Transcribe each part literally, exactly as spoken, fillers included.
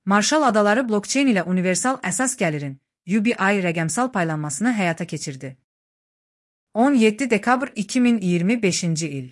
Marshall Adaları blokçeyn ilə universal əsas gəlirin U B I rəqəmsal paylanmasını həyata keçirdi. on yeddi dekabr iki min iyirmi beşinci il.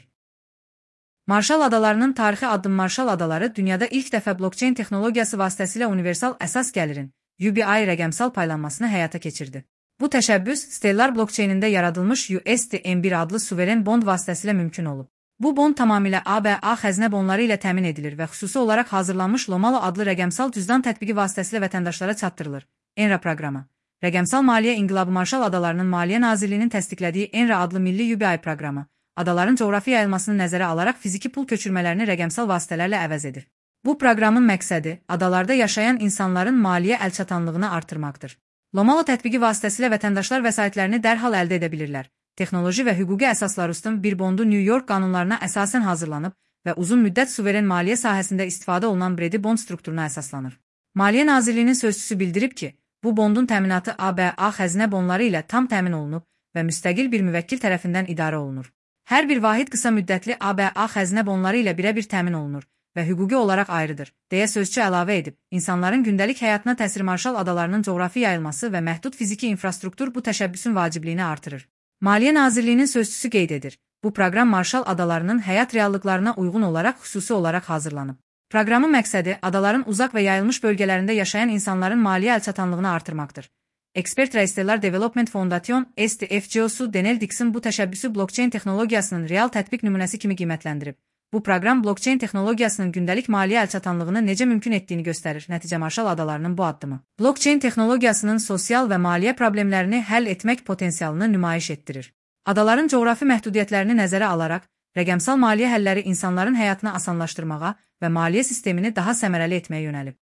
Marshall Adalarının tarixi addım Marshall Adaları dünyada ilk dəfə blokçeyn texnologiyası vasitəsilə universal əsas gəlirin U B I rəqəmsal paylanmasını həyata keçirdi. Bu təşəbbüs Stellar blokçeynində yaradılmış U S D M bir adlı suveren bond vasitəsilə mümkün olub. Bu bond tamamilə A B A xəzinə bonları ilə təmin edilir və xüsusi olaraq hazırlanmış Lomalo adlı rəqəmsal cüzdan tətbiqi vasitəsilə vətəndaşlara çatdırılır. ENRA proqramı. Rəqəmsal Maliyyə İnqilabı Marshall Adalarının Maliyyə Nazirliyinin təsdiqlədiyi ENRA adlı milli U B I proqramı, adaların coğrafi yayılmasını nəzərə alaraq fiziki pul köçürmələrini rəqəmsal vasitələrlə əvəz edir. Bu proqramın məqsədi adalarda yaşayan insanların maliyyə əlçatanlığını artırmaqdır. Lomalo tətbiqi vasitəsilə vətəndaşlar vəsaitlərini dərhal əldə edə bilirlər. Texnoloji və hüquqi əsaslar üstün bir bondu New York qanunlarına əsasən hazırlanıb və uzun müddət suveren maliyyə sahəsində istifadə olunan Bredi bond strukturuna əsaslanır. Maliyyə Nazirliyinin sözçüsü bildirib ki, bu bondun təminatı A B A xəzinə bonları ilə tam təmin olunub və müstəqil bir müvəkkil tərəfindən idarə olunur. Hər bir vahid qısa müddətli A B A xəzinə bonları ilə birə-bir təmin olunur və hüquqi olaraq ayrıdır, deyə sözçü əlavə edib. İnsanların gündəlik həyatına təsir Marshall Adalarının coğrafi yayılması və məhdud fiziki infrastruktur bu təşəbbüsün vacibliyini artırır. Maliyyə Nazirliyinin sözçüsü qeyd edir. Bu proqram Marshall Adalarının həyat reallıqlarına uyğun olaraq xüsusi olaraq hazırlanıb. Proqramın məqsədi adaların uzaq və yayılmış bölgələrində yaşayan insanların maliyyə əlçatanlığını artırmaqdır. Ekspert Stellar Development Foundation S D F C O S-u Daniel Dixon bu təşəbbüsü blokçeyn texnologiyasının real tətbiq nümunəsi kimi qiymətləndirib. Bu proqram blokçeyn texnologiyasının gündəlik maliyyə əlçatanlığını necə mümkün etdiyini göstərir. Nəticə Marshall Adalarının bu addımı blokçeyn texnologiyasının sosial və maliyyə problemlərini həll etmək potensialını nümayiş etdirir. Adaların coğrafi məhdudiyyətlərini nəzərə alaraq, rəqəmsal maliyyə həlləri insanların həyatını asanlaşdırmağa və maliyyə sistemini daha səmərəli etməyə yönəlib.